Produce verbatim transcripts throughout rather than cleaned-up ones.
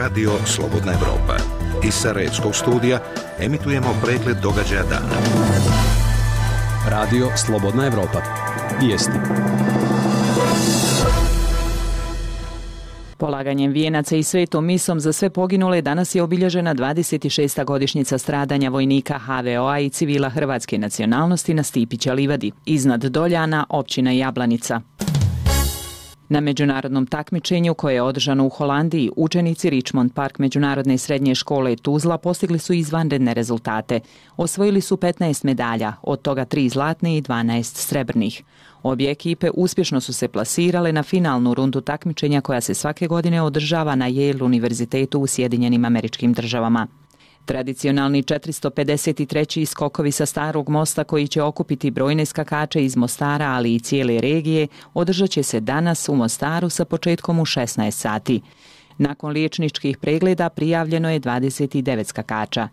Radio Slobodna Evropa. Iz Sarajevskog studija emitujemo pregled događaja dana. Radio Slobodna Evropa. Vijesti. Polaganjem vijenaca i svetom misom za sve poginule danas je obilježena dvadeset šesta godišnjica stradanja vojnika ha ve o a i civila hrvatske nacionalnosti na Stipića livadi, iznad Doljana, općina Jablanica. Na međunarodnom takmičenju koje je održano u Holandiji, učenici Richmond Park međunarodne srednje škole Tuzla postigli su izvanredne rezultate. Osvojili su petnaest medalja, od toga tri zlatne i dvanaest srebrnih. Obje ekipe uspješno su se plasirale na finalnu rundu takmičenja koja se svake godine održava na Yale univerzitetu u Sjedinjenim Američkim Državama. Tradicionalni četiristo pedeset treći skokovi sa Starog mosta koji će okupiti brojne skakače iz Mostara, ali i cijele regije, održat će se danas u Mostaru sa početkom u šesnaest sati. Nakon liječničkih pregleda prijavljeno je dvadeset devet skakača.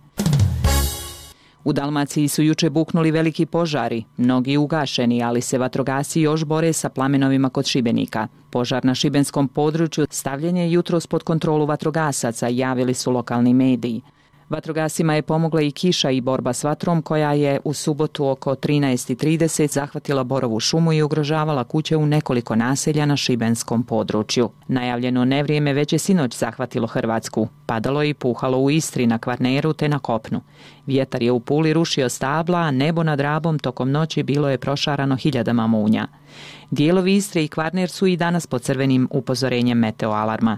U Dalmaciji su juče buknuli veliki požari, mnogi ugašeni, ali se vatrogasci još bore sa plamenovima kod Šibenika. Požar na šibenskom području stavljen je jutros pod kontrolu vatrogasaca, javili su lokalni mediji. Vatrogascima je pomogla i kiša i borba s vatrom koja je u subotu oko trinaest i trideset zahvatila Borovu šumu i ugrožavala kuće u nekoliko naselja na šibenskom području. Najavljeno nevrijeme već je sinoć zahvatilo Hrvatsku. Padalo je i puhalo u Istri, na Kvarneru te na kopnu. Vjetar je u Puli rušio stabla, a nebo nad Rabom tokom noći bilo je prošarano hiljadama munja. Dijelovi Istre i Kvarner su i danas pod crvenim upozorenjem meteoalarma.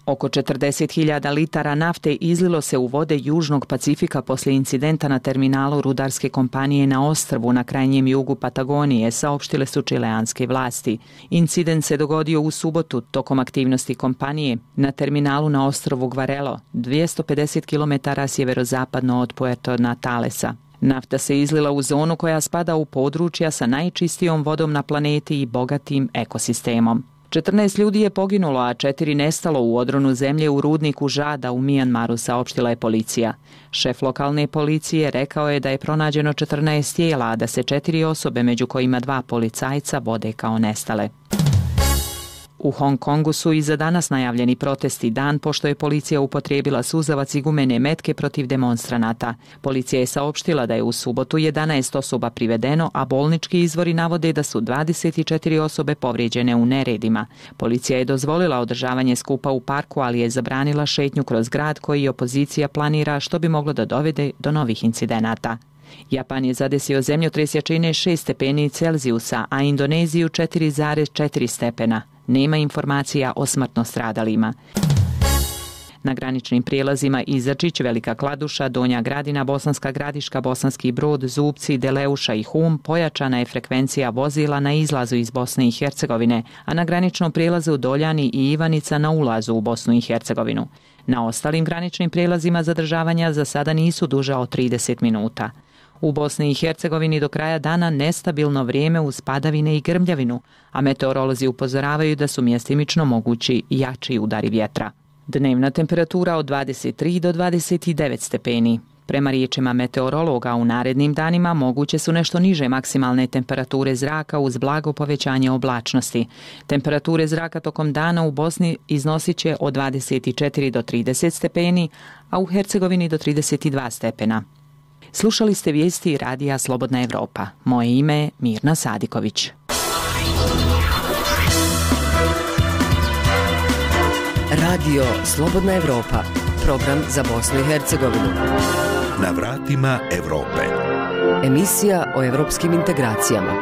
Oko četrdeset hiljada litara nafte izlilo se u vode Južnog Pacifika poslije incidenta na terminalu rudarske kompanije na ostrvu na krajnjem jugu Patagonije, saopštile su čileanske vlasti. Incident se dogodio u subotu tokom aktivnosti kompanije na terminalu na ostrvu Gvarelo, dvjesto pedeset kilometara sjeverozapadno od Puerto Natalesa. Nafta se izlila u zonu koja spada u područja sa najčistijom vodom na planeti i bogatim ekosistemom. četrnaest ljudi je poginulo, a četiri nestalo u odronu zemlje u rudniku Žada u Mijanmaru, saopštila je policija. Šef lokalne policije rekao je da je pronađeno četrnaest tijela, a da se četiri osobe, među kojima dva policajca, vode kao nestale. U Hong Kongu su i za danas najavljeni protesti, dan pošto je policija upotrijebila suzavac i gumene metke protiv demonstranata. Policija je saopštila da je u subotu jedanaest osoba privedeno, a bolnički izvori navode da su dvadeset četiri osobe povrijeđene u neredima. Policija je dozvolila održavanje skupa u parku, ali je zabranila šetnju kroz grad koji opozicija planira, što bi moglo da dovede do novih incidenata. Japan je zadesio zemljotres jačine šest stepeni Celzijusa, a Indoneziju četiri zarez četiri stepena. Nema informacija o smrtno stradalima. Na graničnim prijelazima Izačić, Velika Kladuša, Donja Gradina, Bosanska Gradiška, Bosanski Brod, Zubci, Deleuša i Hum pojačana je frekvencija vozila na izlazu iz Bosne i Hercegovine, a na graničnom prijelazu Doljani i Ivanica na ulazu u Bosnu i Hercegovinu. Na ostalim graničnim prijelazima zadržavanja za sada nisu duža od trideset minuta. U Bosni i Hercegovini do kraja dana nestabilno vrijeme uz padavine i grmljavinu, a meteorolozi upozoravaju da su mjestimično mogući jači udari vjetra. Dnevna temperatura od dvadeset tri do dvadeset devet stepeni. Prema riječima meteorologa, u narednim danima moguće su nešto niže maksimalne temperature zraka uz blago povećanje oblačnosti. Temperature zraka tokom dana u Bosni iznosit će od dvadeset četiri do trideset stepeni, a u Hercegovini do trideset dva stepena. Slušali ste vijesti Radija Slobodna Evropa. Moje ime je Mirna Sadiković. Radio Slobodna Evropa, program za Bosnu i Hercegovinu. Na vratima Evrope. Emisija o evropskim integracijama.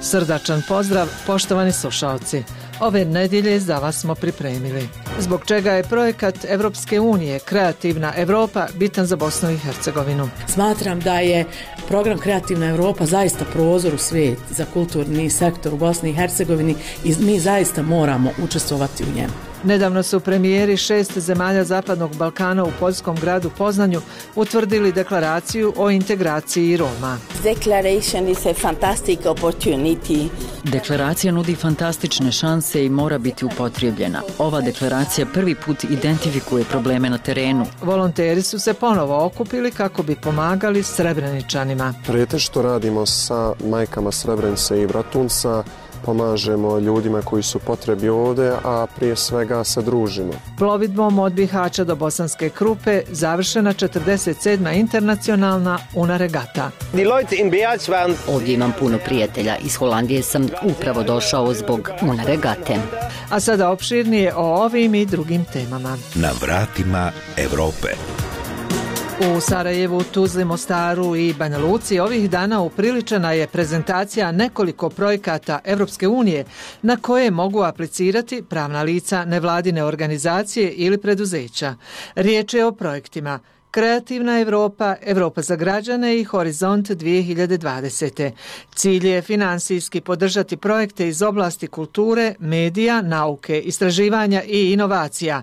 Srdačan pozdrav, poštovani slušalci. Ove nedjelje za vas smo pripremili. Zbog čega je projekat Evropske unije Kreativna Evropa bitan za Bosnu i Hercegovinu? Smatram da je program Kreativna Evropa zaista prozor u svijet za kulturni sektor u Bosni i Hercegovini i mi zaista moramo učestvovati u njemu. Nedavno su premijeri šest zemalja Zapadnog Balkana u poljskom gradu Poznanju utvrdili deklaraciju o integraciji Roma. Declaration is a fantastic opportunity. Deklaracija nudi fantastične šanse i mora biti upotrijebljena. Ova deklaracija prvi put identifikuje probleme na terenu. Volonteri su se ponovo okupili kako bi pomagali Srebreničanima. Pretež što radimo sa majkama Srebrenice i Bratunca, pomažemo ljudima koji su potrebi ovdje, a prije svega se družimo. Plovidbom od Bihaća do Bosanske Krupe završena četrdeset sedma internacionalna Una regata. Ovdje imam puno prijatelja. Iz Holandije sam upravo došao zbog Una regate. A sada opširnije o ovim i drugim temama. Na vratima Europe. U Sarajevu, Tuzli, Mostaru i Banja Luci ovih dana upriličena je prezentacija nekoliko projekata Evropske unije na koje mogu aplicirati pravna lica, nevladine organizacije ili preduzeća. Riječ je o projektima Kreativna Evropa, Evropa za građane i Horizont dvije hiljade dvadesete. Cilj je finansijski podržati projekte iz oblasti kulture, medija, nauke, istraživanja i inovacija.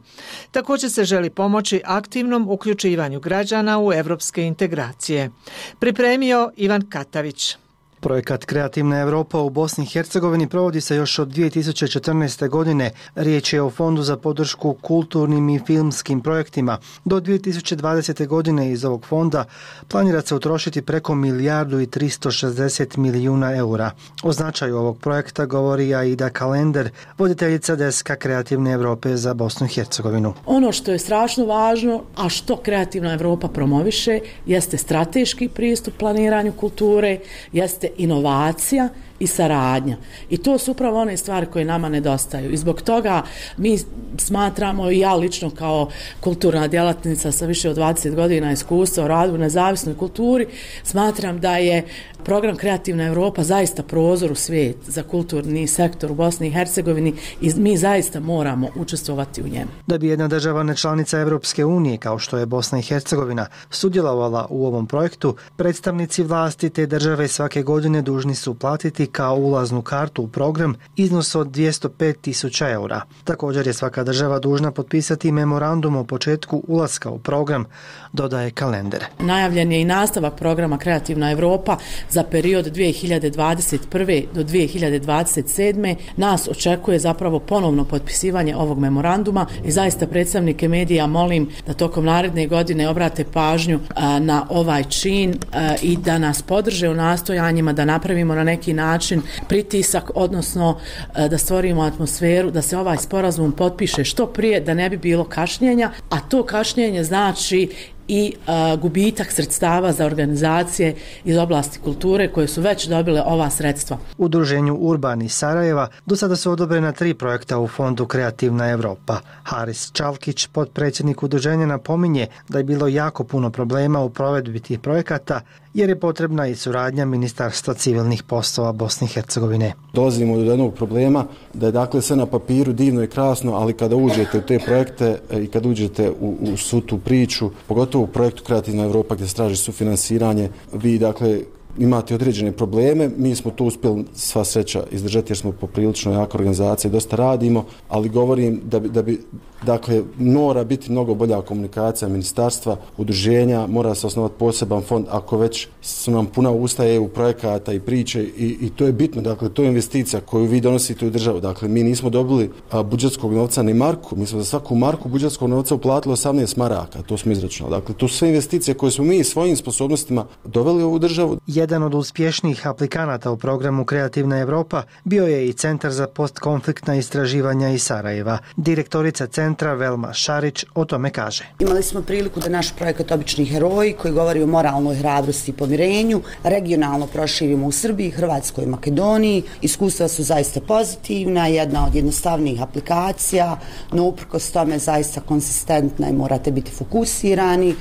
Također se želi pomoći aktivnom uključivanju građana u evropske integracije. Pripremio Ivan Katavić. Projekat Kreativna Evropa u Bosni i Hercegovini provodi se još od dvije tisuće četrnaeste. godine. Riječ je o Fondu za podršku kulturnim i filmskim projektima. Do dvije tisuće dvadesete. godine iz ovog fonda planira se utrošiti preko milijardu i tristo šezdeset milijuna eura. O značaju ovog projekta govori Aida Kalender, voditeljica deska Kreativne Evrope za Bosnu i Hercegovinu. Ono što je strašno važno, a što Kreativna Evropa promoviše, jeste strateški pristup planiranju kulture, jeste inovacija i saradnja. I to su upravo one stvari koje nama nedostaju. I zbog toga mi smatramo, i ja lično kao kulturna djelatnica sa više od dvadeset godina iskustva u radu u nezavisnoj kulturi, smatram da je program Kreativna Evropa zaista prozor u svijet za kulturni sektor u Bosni i Hercegovini i mi zaista moramo učestvovati u njemu. Da bi jedna država nečlanica Evropske unije, kao što je Bosna i Hercegovina, sudjelovala u ovom projektu, predstavnici vlasti te države svake godine dužni su platiti kao ulaznu kartu u program iznos od dvjesto pet tisuća eura. Također je svaka država dužna potpisati memorandum o početku ulaska u program, dodaje Kalender. Najavljen je i nastavak programa Kreativna Evropa za period dvije hiljade dvadeset prve. do dvije hiljade dvadeset sedme. Nas očekuje zapravo ponovno potpisivanje ovog memoranduma i zaista predstavnike medija molim da tokom naredne godine obrate pažnju a, na ovaj čin a, i da nas podrže u nastojanjima da napravimo na neki način pritisak, odnosno a, da stvorimo atmosferu da se ovaj sporazum potpiše što prije, da ne bi bilo kašnjenja, a to kašnjenje znači i a, gubitak sredstava za organizacije iz oblasti kulture koje su već dobile ova sredstva. Udruženju Urban iz Sarajeva do sada su odobrena tri projekta u Fondu Kreativna Evropa. Haris Čalkić, potpredsjednik udruženja, napominje da je bilo jako puno problema u provedbi tih projekata jer je potrebna i suradnja Ministarstva civilnih poslova Bosne i Hercegovine. Dolazimo do jednog problema da je dakle sve na papiru divno i krasno, ali kada uđete u te projekte i kada uđete u, u svu tu priču, pogotovo u projektu Kreativna Evropa gdje se traži sufinansiranje, vi dakle imate određene probleme. Mi smo to uspjeli sva sreća izdržati jer smo poprilično jaka organizacija, dosta radimo, ali govorim da bi, da bi dakle mora biti mnogo bolja komunikacija ministarstva, udruženja, mora se osnovati poseban fond ako već su nam puna usta E U projekata i priče i, i to je bitno, dakle to je investicija koju vi donosite u državu. Dakle mi nismo dobili a, budžetskog novca ni marku, mi smo za svaku marku budžetskog novca uplatili osamnaest maraka, to smo izračunali. Dakle to su sve investicije koje smo mi svojim sposobnostima doveli u ovu državu. Jedan od uspješnijih aplikanata u programu Kreativna Evropa bio je i Centar za postkonfliktna istraživanja iz Sarajeva. Direktorica centra Velma Šarić o tome kaže. Imali smo priliku da naš projekat Obični heroji, koji govori o moralnoj hrabrosti i pomirenju, regionalno proširimo u Srbiji, Hrvatskoj i Makedoniji. Iskustva su zaista pozitivna, jedna od jednostavnijih aplikacija, no uprkos tome zaista konsistentna i morate biti fokusirani.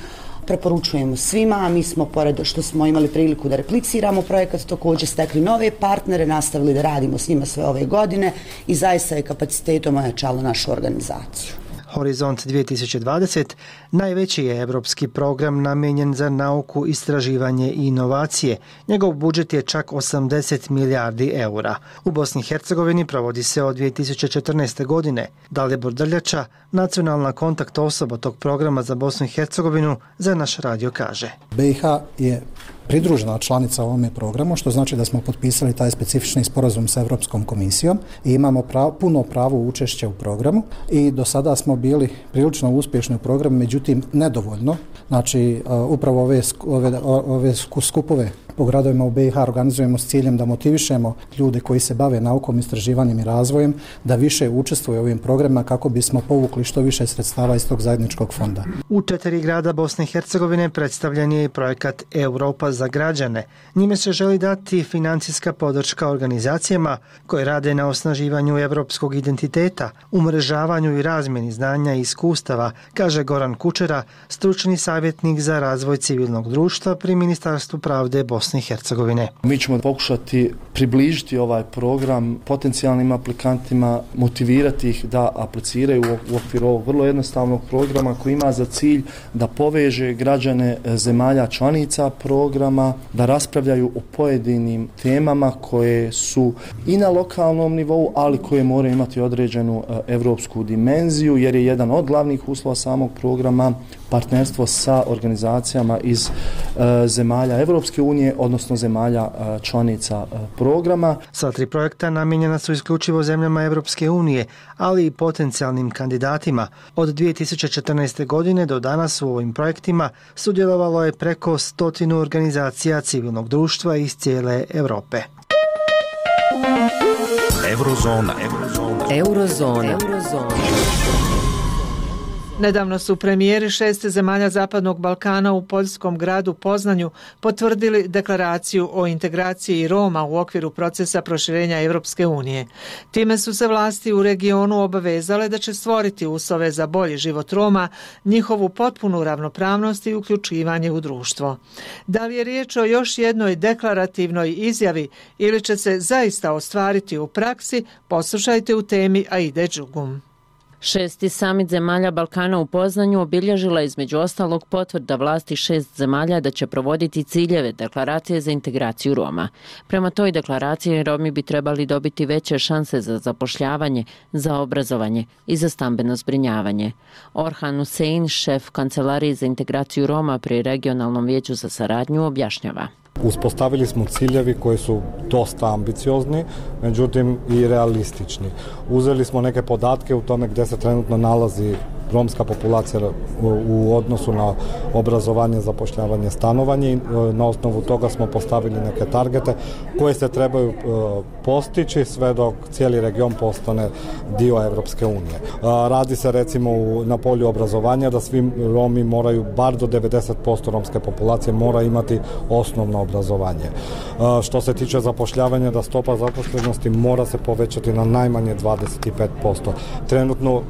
Preporučujemo svima, mi smo, pored što smo imali priliku da repliciramo projekat, također stekli nove partnere, nastavili da radimo s njima sve ove godine i zaista je kapacitetom ojačalo našu organizaciju. Horizont dvije tisuće dvadeset najveći je evropski program namijenjen za nauku, istraživanje i inovacije. Njegov budžet je čak osamdeset milijardi eura. U Bosni i Hercegovini provodi se od dvije tisuće četrnaeste. godine. Dalibor Drljača, nacionalna kontakt osoba tog programa za Bosnu i Hercegovinu, za naš radio kaže. B i H je pridružena članica ovome programu, što znači da smo potpisali taj specifični sporazum sa Europskom komisijom i imamo pravo, puno pravo učešća u programu i do sada smo bili prilično uspješni u programu, međutim nedovoljno. Znači, upravo ove, ove, ove skupove po gradovima u B i H organizujemo s ciljem da motivišemo ljude koji se bave naukom, istraživanjem i razvojem da više učestvuju u ovim programima kako bismo povukli što više sredstava iz tog zajedničkog fonda. U četiri grada Bosne i Hercegovine predstavljen je i projekat Europa za građane. Njime se želi dati financijska podrška organizacijama koje rade na osnaživanju evropskog identiteta, umrežavanju i razmjeni znanja i iskustava, kaže Goran Kučera, stručni savjetnik za razvoj civilnog društva pri Ministarstvu pravde Bosne i Hercegovine. Mi ćemo pokušati približiti ovaj program potencijalnim aplikantima, motivirati ih da apliciraju u okviru ovog vrlo jednostavnog programa koji ima za cilj da poveže građane zemalja članica programa, da raspravljaju o pojedinim temama koje su i na lokalnom nivou, ali koje moraju imati određenu evropsku dimenziju, jer je jedan od glavnih uslova samog programa partnerstvo sa organizacijama iz e, zemalja Evropske unije, odnosno zemalja e, članica e, programa. Sva tri projekta namijenjena su isključivo zemljama Evropske unije, ali i potencijalnim kandidatima. Od dvije tisuće četrnaeste. godine do danas u ovim projektima sudjelovalo je preko stotinu organizacija civilnog društva iz cijele Europe. Eurozona. Eurozona. Eurozona. Eurozona. Nedavno su premijeri šest zemalja Zapadnog Balkana u poljskom gradu Poznanju potvrdili deklaraciju o integraciji Roma u okviru procesa proširenja Europske unije. Time su se vlasti u regionu obavezale da će stvoriti uslove za bolji život Roma, njihovu potpunu ravnopravnost i uključivanje u društvo. Da li je riječ o još jednoj deklarativnoj izjavi ili će se zaista ostvariti u praksi, poslušajte u temi Aide Đugum. Šesti samit zemalja Balkana u Poznanju obilježila između ostalog potvrda vlasti šest zemalja da će provoditi ciljeve deklaracije za integraciju Roma. Prema toj deklaraciji Romi bi trebali dobiti veće šanse za zapošljavanje, za obrazovanje i za stambeno zbrinjavanje. Orhan Hussein, šef Kancelarije za integraciju Roma pri Regionalnom vijeću za saradnju, objašnjava. Uspostavili smo ciljevi koji su dosta ambiciozni, međutim i realistični. Uzeli smo neke podatke u tome gdje se trenutno nalazi romska populacija u odnosu na obrazovanje, zapošljavanje, stanovanje i na osnovu toga smo postavili neke targete koje se trebaju postići sve dok cijeli region postane dio Evropske unije. Radi se recimo na polju obrazovanja da svi Romi moraju, bar do devedeset posto romske populacije mora imati osnovno obrazovanje. Što se tiče zapošljavanja, da stopa zaposlenosti mora se povećati na najmanje dvadeset pet posto. Trenutno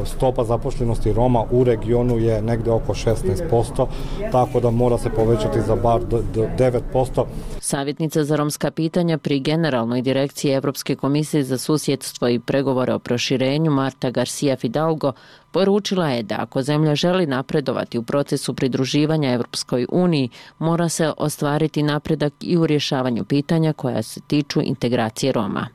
stopa zaposlenosti Roma u regionu je negdje oko šesnaest posto, tako da mora se povećati za bar do devet posto. Savjetnica za romska pitanja pri Generalnoj direkciji Evropske komisije za susjedstvo i pregovore o proširenju Marta Garcia Fidalgo poručila je da ako zemlja želi napredovati u procesu pridruživanja Evropskoj uniji, mora se ostvariti napredak i u rješavanju pitanja koja se tiču integracije Roma.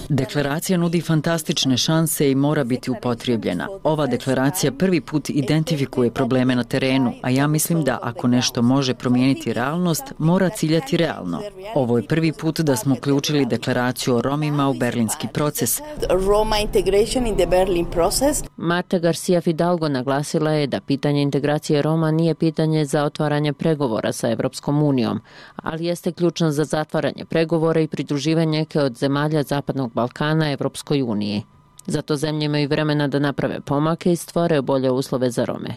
Deklaracija nudi fantastične šanse i mora biti upotrijebljena. Ova deklaracija prvi put identifikuje probleme na terenu, a ja mislim da ako nešto može promijeniti realnost, mora ciljati realno. Ovo je prvi put da smo uključili deklaraciju o Romima u berlinski proces. Roma integration in the Berlin process. Marta Garcia Fidalgo naglasila je da pitanje integracije Roma nije pitanje za otvaranje pregovora sa Evropskom unijom, ali jeste ključno za zatvaranje pregovora i pridruživanje neke od zemalja Zapadnog Balkana Evropskoj uniji. Zato zemlje imaju vremena da naprave pomake i stvore bolje uslove za Rome.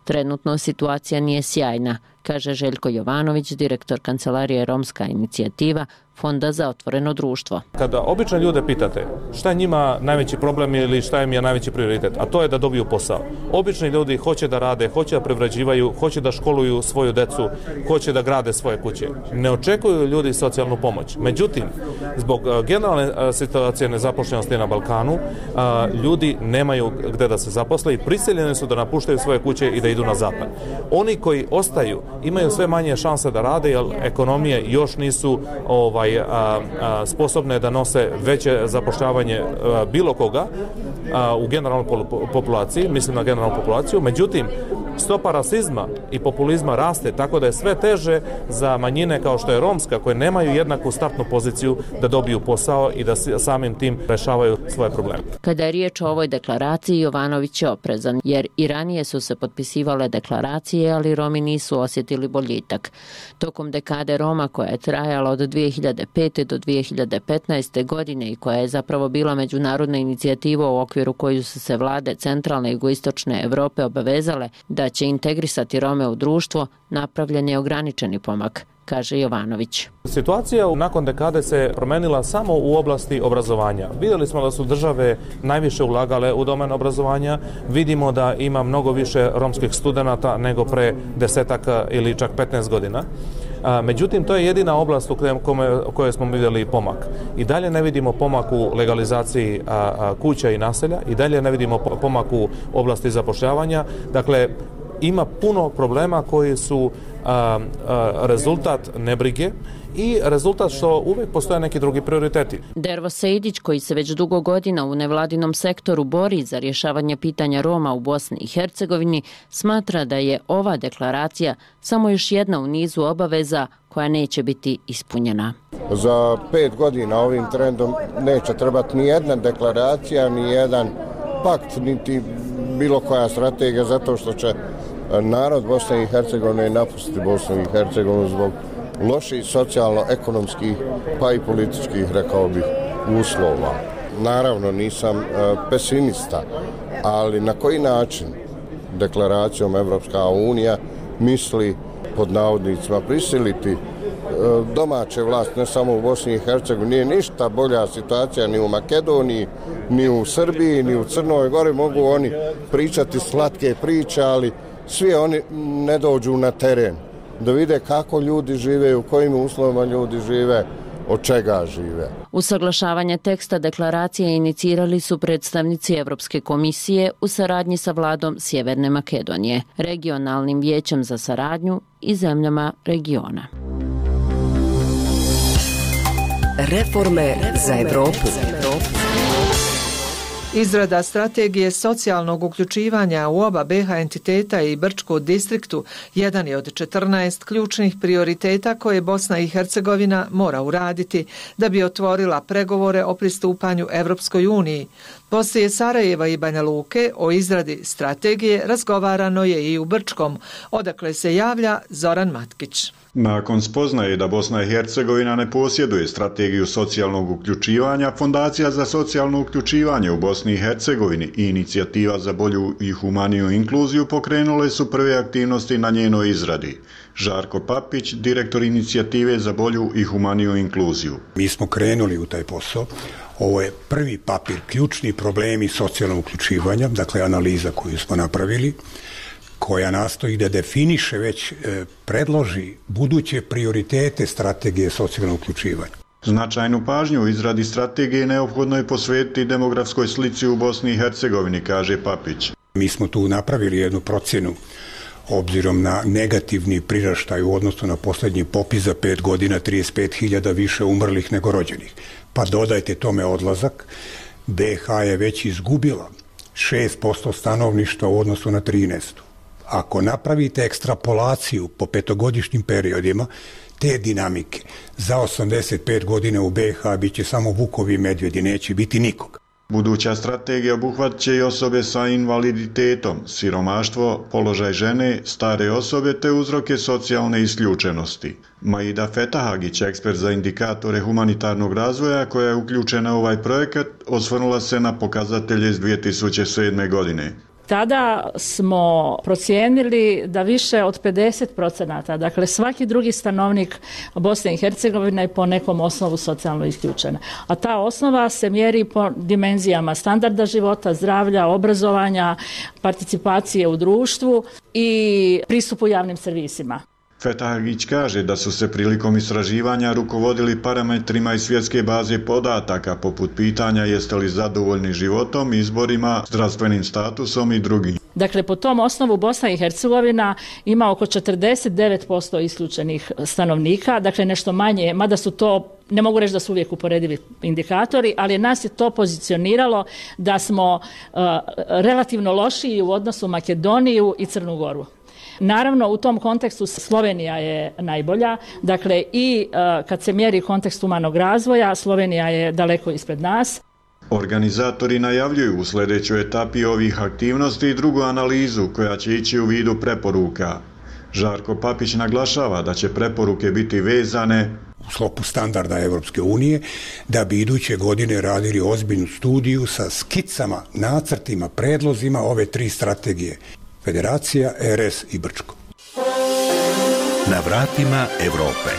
Trenutno situacija nije sjajna, kaže Željko Jovanović, direktor Kancelarije Romska inicijativa Fonda za otvoreno društvo. Kada obične ljude pitate šta je njima najveći problem ili šta im je najveći prioritet, a to je da dobiju posao. Obični ljudi hoće da rade, hoće da privređivaju, hoće da školuju svoju decu, hoće da grade svoje kuće. Ne očekuju ljudi socijalnu pomoć. Međutim, zbog generalne situacije nezaposlenosti na Balkanu, ljudi nemaju gde da se zaposle i prisiljeni su da napuštaju svoje kuće i da idu na zapad. Oni koji ostaju imaju sve manje šanse da rade jer ekonomije još nisu ovaj, a, a, sposobne da nose veće zapošljavanje a, bilo koga a, u generalnoj populaciji, mislim na generalnu populaciju. Međutim, stopa rasizma i populizma raste, tako da je sve teže za manjine kao što je romska, koje nemaju jednaku startnu poziciju da dobiju posao i da samim tim rešavaju svoje probleme. Kada je riječ o ovoj deklaraciji, Jovanović je oprezan, jer i ranije su se potpisivale deklaracije, ali Romi nisu osjetili boljitak. Tokom dekade Roma, koja je trajala od dvije hiljade pete do dvije hiljade petnaeste. godine i koja je zapravo bila međunarodna inicijativa u okviru koju su se vlade centralne i jugoistočne Europe obavezale da će integrisati Rome u društvo, napravljen je ograničeni pomak, kaže Jovanović. Situacija nakon dekade se promenila samo u oblasti obrazovanja. Vidjeli smo da su države najviše ulagale u domen obrazovanja, vidimo da ima mnogo više romskih studenata nego pre desetak ili čak petnaest godina. Međutim, to je jedina oblast u kojoj smo vidjeli pomak. I dalje ne vidimo pomak u legalizaciji kuća i naselja, i dalje ne vidimo pomak u oblasti zapošljavanja. Dakle, ima puno problema koji su a, a, rezultat nebrige i rezultat što uvijek postoje neki drugi prioriteti. Dervo Sejdić, koji se već dugo godina u nevladinom sektoru bori za rješavanje pitanja Roma u Bosni i Hercegovini, smatra da je ova deklaracija samo još jedna u nizu obaveza koja neće biti ispunjena. Za pet godina ovim trendom neće trebati ni jedna deklaracija, ni jedan pakt, niti bilo koja strategija, zato što će narod Bosne i Hercegovine napustiti Bosnu i Hercegovinu zbog loših socijalno-ekonomskih pa i političkih, rekao bih, uslova. Naravno, nisam pesimista, ali na koji način deklaracijom Evropska unija misli, pod navodnicima, prisiliti domaće vlast, ne samo u Bosni i Hercegovini, nije ništa bolja situacija ni u Makedoniji, ni u Srbiji, ni u Crnoj Gori. Mogu oni pričati slatke priče, ali svi oni ne dođu na teren da vide kako ljudi žive, u kojim uslovima ljudi žive, od čega žive. Usaglašavanje teksta deklaracije inicirali su predstavnici Evropske komisije u saradnji sa vladom Sjeverne Makedonije, regionalnim vijećem za saradnju i zemljama regiona. Reforme za Evropu. Izrada strategije socijalnog uključivanja u oba be ha entiteta i Brčko distriktu jedan je od četrnaest ključnih prioriteta koje Bosna i Hercegovina mora uraditi da bi otvorila pregovore o pristupanju Evropskoj uniji. Poslije Sarajeva i Banja Luke o izradi strategije razgovarano je i u Brčkom, odakle se javlja Zoran Matkić. Nakon spoznaje da Bosna i Hercegovina ne posjeduje strategiju socijalnog uključivanja, Fondacija za socijalno uključivanje u Bosni i Hercegovini i Inicijativa za bolju i humaniju inkluziju pokrenule su prve aktivnosti na njenoj izradi. Žarko Papić, direktor Inicijative za bolju i humaniju inkluziju. Mi smo krenuli u taj posao. Ovo je prvi papir, ključni problemi socijalnog uključivanja, dakle analiza koju smo napravili, koja nastoji da definiše, već e, predloži buduće prioritete strategije socijalnog uključivanja. Značajnu pažnju u izradi strategije neophodno je posvetiti demografskoj slici u Bosni i Hercegovini, kaže Papić. Mi smo tu napravili jednu procjenu obzirom na negativni priraštaj u odnosu na posljednji popis za pet godina, trideset pet hiljada više umrlih nego rođenih. Pa dodajte tome odlazak, be ha je već izgubila šest posto stanovništva u odnosu na trinaest. Ako napravite ekstrapolaciju po petogodišnjim periodima te dinamike, za osamdeset pet godina u be ha bit će samo vukovi i medvjedi, neće biti nikog. Buduća strategija obuhvaća i osobe sa invaliditetom, siromaštvo, položaj žene, stare osobe te uzroke socijalne isključenosti. Maida Fetahagić, ekspert za indikatore humanitarnog razvoja koja je uključena u ovaj projekat, osvrnula se na pokazatelje iz dvije tisuće sedme. godine. Tada smo procijenili da više od pedeset procenata, dakle svaki drugi stanovnik Bosne i Hercegovine je po nekom osnovu socijalno isključena. A ta osnova se mjeri po dimenzijama standarda života, zdravlja, obrazovanja, participacije u društvu i pristupu javnim servisima. Fetahagić kaže da su se prilikom istraživanja rukovodili parametrima iz svjetske baze podataka poput pitanja jeste li zadovoljni životom, izborima, zdravstvenim statusom i drugim. Dakle, po tom osnovu Bosna i Hercegovina ima oko četrdeset devet posto isključenih stanovnika, dakle nešto manje, mada su to Ne mogu reći da su uvijek uporedivi indikatori, ali nas je to pozicioniralo da smo uh, relativno lošiji u odnosu Makedoniju i Crnu Goru. Naravno, u tom kontekstu Slovenija je najbolja, dakle i uh, kad se mjeri kontekst humanog razvoja, Slovenija je daleko ispred nas. Organizatori najavljuju u sljedećoj etapi ovih aktivnosti i drugu analizu koja će ići u vidu preporuka. Žarko Papić naglašava da će preporuke biti vezane u sklopu standarda Evropske unije, da bi iduće godine radili ozbiljnu studiju sa skicama, nacrtima, predlozima ove tri strategije. Federacija, R S i Brčko. Na vratima Evrope.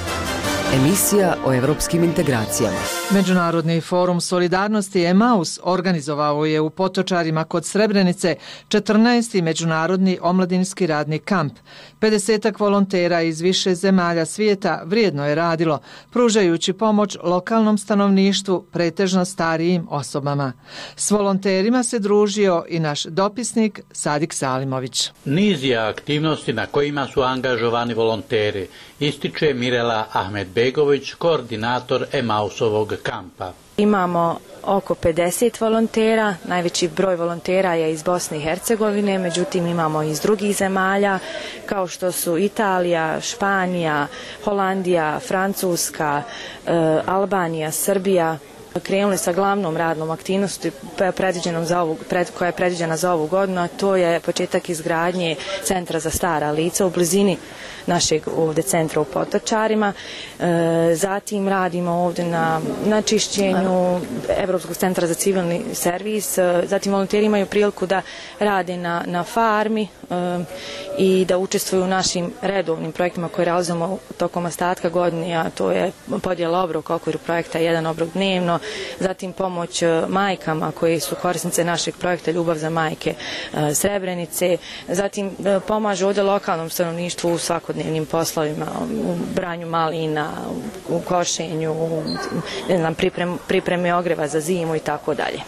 Emisija o evropskim integracijama. Međunarodni forum solidarnosti Emaus organizovao je u Potočarima kod Srebrenice četrnaesti međunarodni omladinski radni kamp. pedesetak volontera iz više zemalja svijeta vrijedno je radilo, pružajući pomoć lokalnom stanovništvu, pretežno starijim osobama. S volonterima se družio i naš dopisnik Sadik Salimović. Niz je aktivnosti na kojima su angažovani volonteri, ističe Mirela Ahmedbegović, koordinator Emausovog kampa. Imamo oko pedeset volontera, najveći broj volontera je iz Bosne i Hercegovine, međutim imamo i iz drugih zemalja kao što su Italija, Španija, Holandija, Francuska, e, Albanija, Srbija. Krenuli sa glavnom radnom aktivnosti za ovu, pred, koja je predviđena za ovu godinu, a to je početak izgradnje centra za stara lica u blizini našeg ovdje centra u Potočarima. E, zatim radimo ovdje na, na čišćenju Evropskog centra za civilni servis. E, zatim volonteri imaju priliku da rade na, na farmi e, i da učestvuju u našim redovnim projektima koje realizujemo tokom ostatka godine, a to je podjela obroka u okviru projekta jedan obrok dnevno, zatim pomoć majkama koji su korisnice našeg projekta Ljubav za majke e, Srebrenice, zatim e, pomažu ovdje lokalnom stanovništvu u svakodnevnim poslovima, u branju malina, u košenju, u ne znam, priprem, pripremi ogreva za zimu i tako dalje.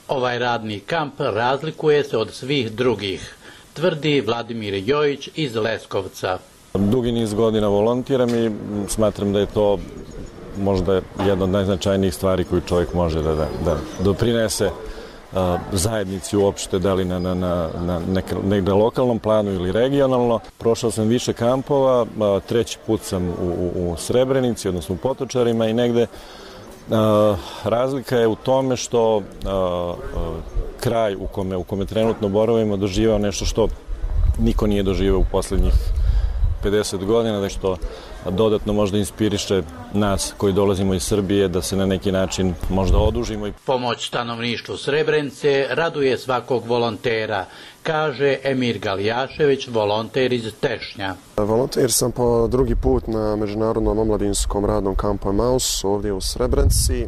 Ovaj radni kamp razlikuje se od svih drugih, tvrdi Vladimir Jojić iz Leskovca. Dugi niz godina volontiram i smatram da je to možda jedna od najznačajnijih stvari koju čovjek može da, da, da doprinese a, zajednici uopšte, da li na, na, na, na neke, negde lokalnom planu ili regionalno. Prošao sam više kampova, a, treći put sam u, u, u Srebrenici, odnosno u Potočarima i negde a, razlika je u tome što a, a, kraj u kome, u kome trenutno boravimo doživao nešto što niko nije doživao u posljednjih pedeset godina, da što dodatno možda inspiriše nas koji dolazimo iz Srbije da se na neki način možda odužimo. Pomoć stanovništvu Srebrenice raduje svakog volontera, kaže Emir Galijašević, volonter iz Tešnja. Volonter sam po drugi put na Međunarodnom omladinskom radnom kampu Emaus ovdje u Srebrenici.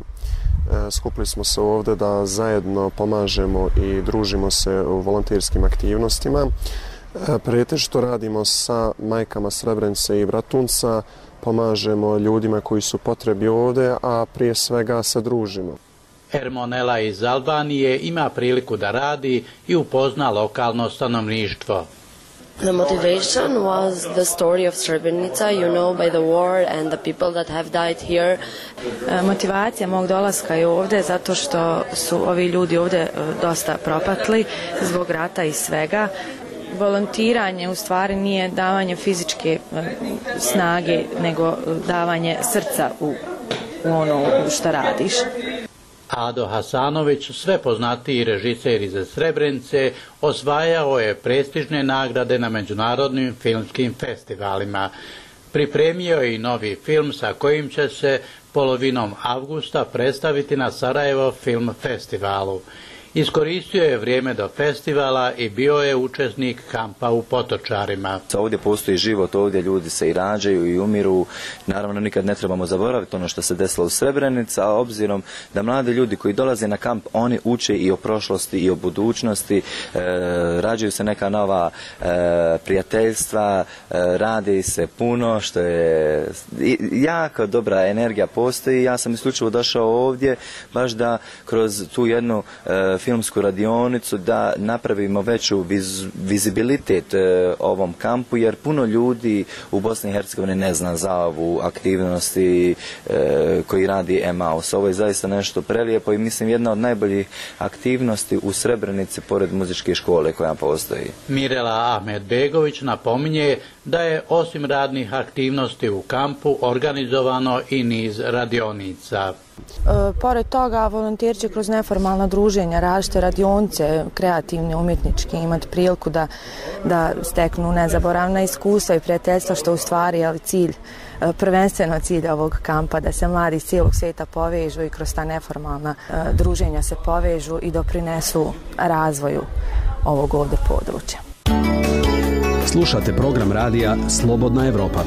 Skupili smo se ovdje da zajedno pomažemo i družimo se u volonterskim aktivnostima. Pretežito radimo sa majkama Srebrenice i Bratunca, pomažemo ljudima koji su potrebi ovdje, a prije svega se družimo. Ermonela iz Albanije ima priliku da radi i upozna lokalno stanovništvo. The motivation was the story of Srebrenica, you know, by the war and the people that have died here. Motivacija mog dolaska je ovdje zato što su ovi ljudi ovdje dosta propatli zbog rata i svega. Volontiranje u stvari nije davanje fizičke snage, nego davanje srca u, u ono što radiš. Ado Hasanović, sve poznatiji režiser iz Srebrenice, osvajao je prestižne nagrade na međunarodnim filmskim festivalima. Pripremio je i novi film sa kojim će se polovinom avgusta predstaviti na Sarajevo film festivalu. Iskoristio je vrijeme do festivala i bio je učesnik kampa u Potočarima. Ovdje postoji život, ovdje ljudi se i rađaju i umiru. Naravno, nikad ne trebamo zaboraviti ono što se desilo u Srebrenici, a obzirom da mladi ljudi koji dolaze na kamp, oni uče i o prošlosti i o budućnosti, e, rađaju se neka nova e, prijateljstva, e, radi se puno, što je jako dobra energija postoji. Ja sam isključivo došao ovdje baš da kroz tu jednu e, filmsku radionicu da napravimo veću viz, vizibilitet e, ovom kampu, jer puno ljudi u Bosni i Hercegovini ne zna za ovu aktivnosti e, koji radi Emaus. Ovo je zaista nešto prelijepo i mislim jedna od najboljih aktivnosti u Srebrenici pored muzičke škole koja postoji. Mirela Ahmedbegović napominje da je osim radnih aktivnosti u kampu organizovano i niz radionica. E, pored toga, volonteri će kroz neformalna druženja, različite radionice, kreativne, umjetničke, imati priliku da, da steknu nezaboravna iskustva i prijateljstva, što u stvari je cilj, prvenstveno cilj ovog kampa, da se mladi iz cijelog svijeta povežu i kroz ta neformalna e, druženja se povežu i doprinesu razvoju ovog ovdje područja. Slušate program radija Slobodna Evropa.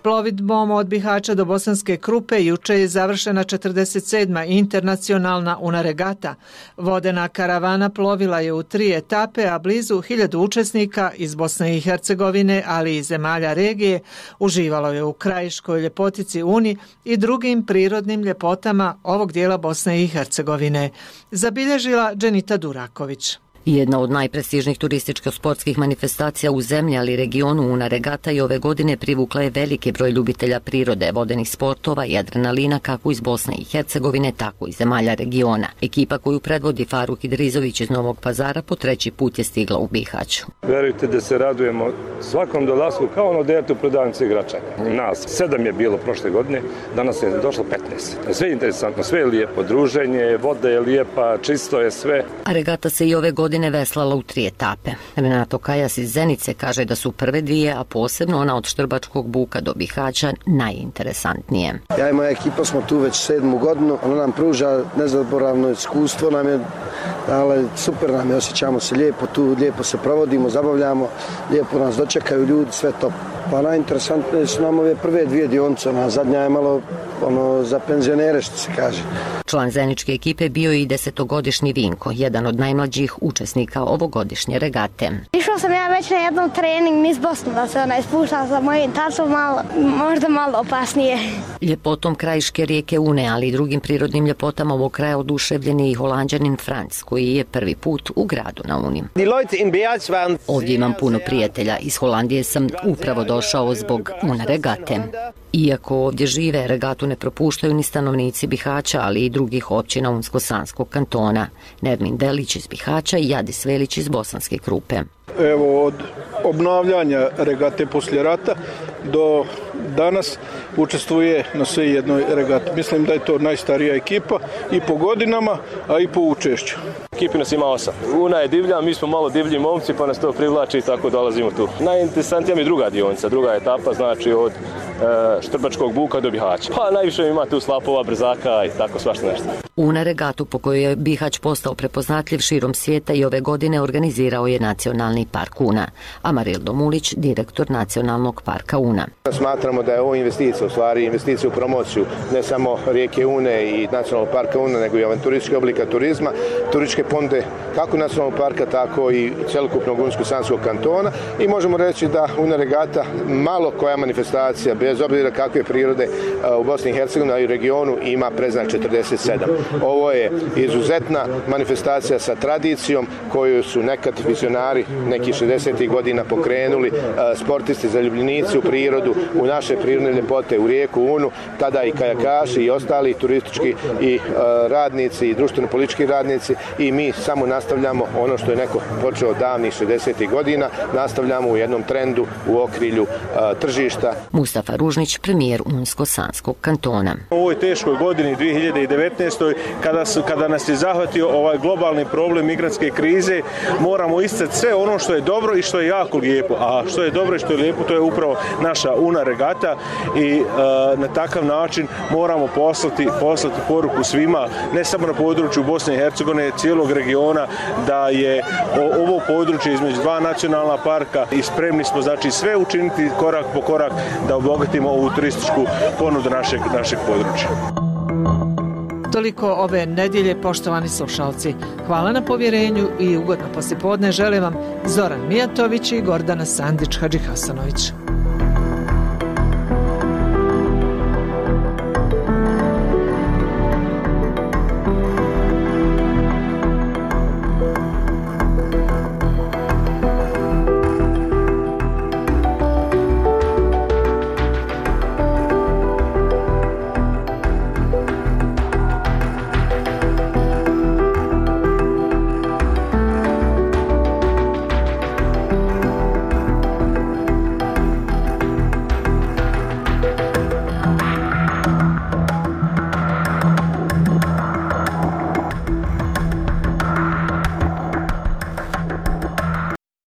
Plovidbom od Bihaća do Bosanske Krupe juče je završena četrdeset sedma internacionalna Una regata. Vodena karavana plovila je u tri etape, a blizu hiljadu učesnika iz Bosne i Hercegovine, ali i zemalja regije, uživalo je u krajiškoj ljepotici Uni i drugim prirodnim ljepotama ovog dijela Bosne i Hercegovine. Zabilježila Dženita Duraković. Jedna od najprestižnijih turističko-sportskih manifestacija u zemlji, ali regionu, Una regata i ove godine privukla je veliki broj ljubitelja prirode, vodenih sportova i adrenalina kako iz Bosne i Hercegovine, tako i zemalja regiona. Ekipa koju predvodi Faruk Idrizović iz Novog Pazara po treći put je stigla u Bihać. Verujte da se radujemo svakom dolasku kao ono dete u prodavnici igračaka. Nas sedam je bilo prošle godine, danas je došlo petnaest. Sve je interesantno, sve je lijepo, druženje, voda je lijepa, čisto je sve. A regata se i ove godine veslala u tri etape. Renato Kajas iz Zenice kaže da su prve dvije, a posebno ona od Štrbačkog buka do Bihaća, najinteresantnije. Ja i moja ekipa smo tu već sedmu godinu, ona nam pruža nezaboravno iskustvo, nam je, ali super nam je, osjećamo se lijepo tu, lijepo se provodimo, zabavljamo, lijepo nas dočekaju ljudi, sve top. Pa najinteresantnije su nam ove prve dvije dionice, ona zadnja je malo ono, za penzionere, što se kaže. Član zeničke ekipe bio je i desetogodišnji Vinko, jedan od najmlađih učesnika ovogodišnje regate. Išao sam ja već na jednom trening niz Bosnu, da se ona ispušta sa mojim tacom, malo, možda malo opasnije. Ljepotom krajiške rijeke Une, ali i drugim prirodnim ljepotama ovog kraja oduševljen je i Holanđanin Franc, koji je prvi put u gradu na Uni. Ovdje imam puno prijatelja. Iz Holandije sam upravo došao zbog Una regate. Iako ovdje žive, regatu ne propuštaju ni stanovnici Bihaća, ali i drugih općina Unsko-Sanskog kantona. Nermin Delić iz Bihaća i Jadis Velić iz Bosanske Krupe. Evo, od obnavljanja regate poslije rata do danas učestvuje na sve jednoj regati. Mislim da je to najstarija ekipa i po godinama, a i po učešću. Ekipi nas ima osam. Una je divlja, mi smo malo divlji momci, pa nas to privlači i tako dolazimo tu. Najinteresantnija mi je druga dionica, druga etapa, znači od e, Štrbačkog buka do Bihaća. Pa najviše ima tu slapova, brzaka i tako svašta nešto. Una regatu po kojoj je Bihać postao prepoznatljiv širom svijeta i ove godine organizirao je Nacionalni park Una. Amarildo Mulić, direktor Nacionalnog parka Una. Smatramo da je ovo investicija, u stvari investicija u promociju ne samo rijeke Une i Nacionalnog parka Una, nego i avanturističke oblika turizma, turističke ponude kako Nacionalnog parka, tako i celokupnog Unsko-Sanskog kantona i možemo reći da Una regata malo koja manifestacija, bez obzira kakve prirode u Bosni i Hercegovini i u regionu ima predznak četrdeset sedam. Ovo je izuzetna manifestacija sa tradicijom koju su nekad vizionari nekih šezdesetih godina pokrenuli, sportisti, zaljubljenici u prirodu, u naše prirodne ljepote, u rijeku Unu, tada i kajakaši i ostali turistički i radnici i društveno-politički radnici i mi samo nastavljamo ono što je neko počeo davnih šezdesetih godina, nastavljamo u jednom trendu u okrilju tržišta. Mustafa Ružnić, premijer Unsko-Sanskog kantona. U ovoj teškoj godini dvije hiljade devetnaestoj kada, su, kada nas je zahvatio ovaj globalni problem migrantske krize, moramo isticati sve ono što je dobro i što je jako lijepo. A što je dobro i što je lijepo, to je upravo naša Una regata i e, na takav način moramo poslati, poslati poruku svima, ne samo na području Bosne i Hercegovine, cijelog regiona, da je o, ovo područje između dva nacionalna parka i spremni smo znači sve učiniti korak po korak da obogatimo ovu turističku ponudu našeg, našeg područja. Toliko ove nedjelje, poštovani slušalci. Hvala na povjerenju i ugodno poslijepodne želim vam Zoran Mijatović i Gordana Sandić Hadžihasanović.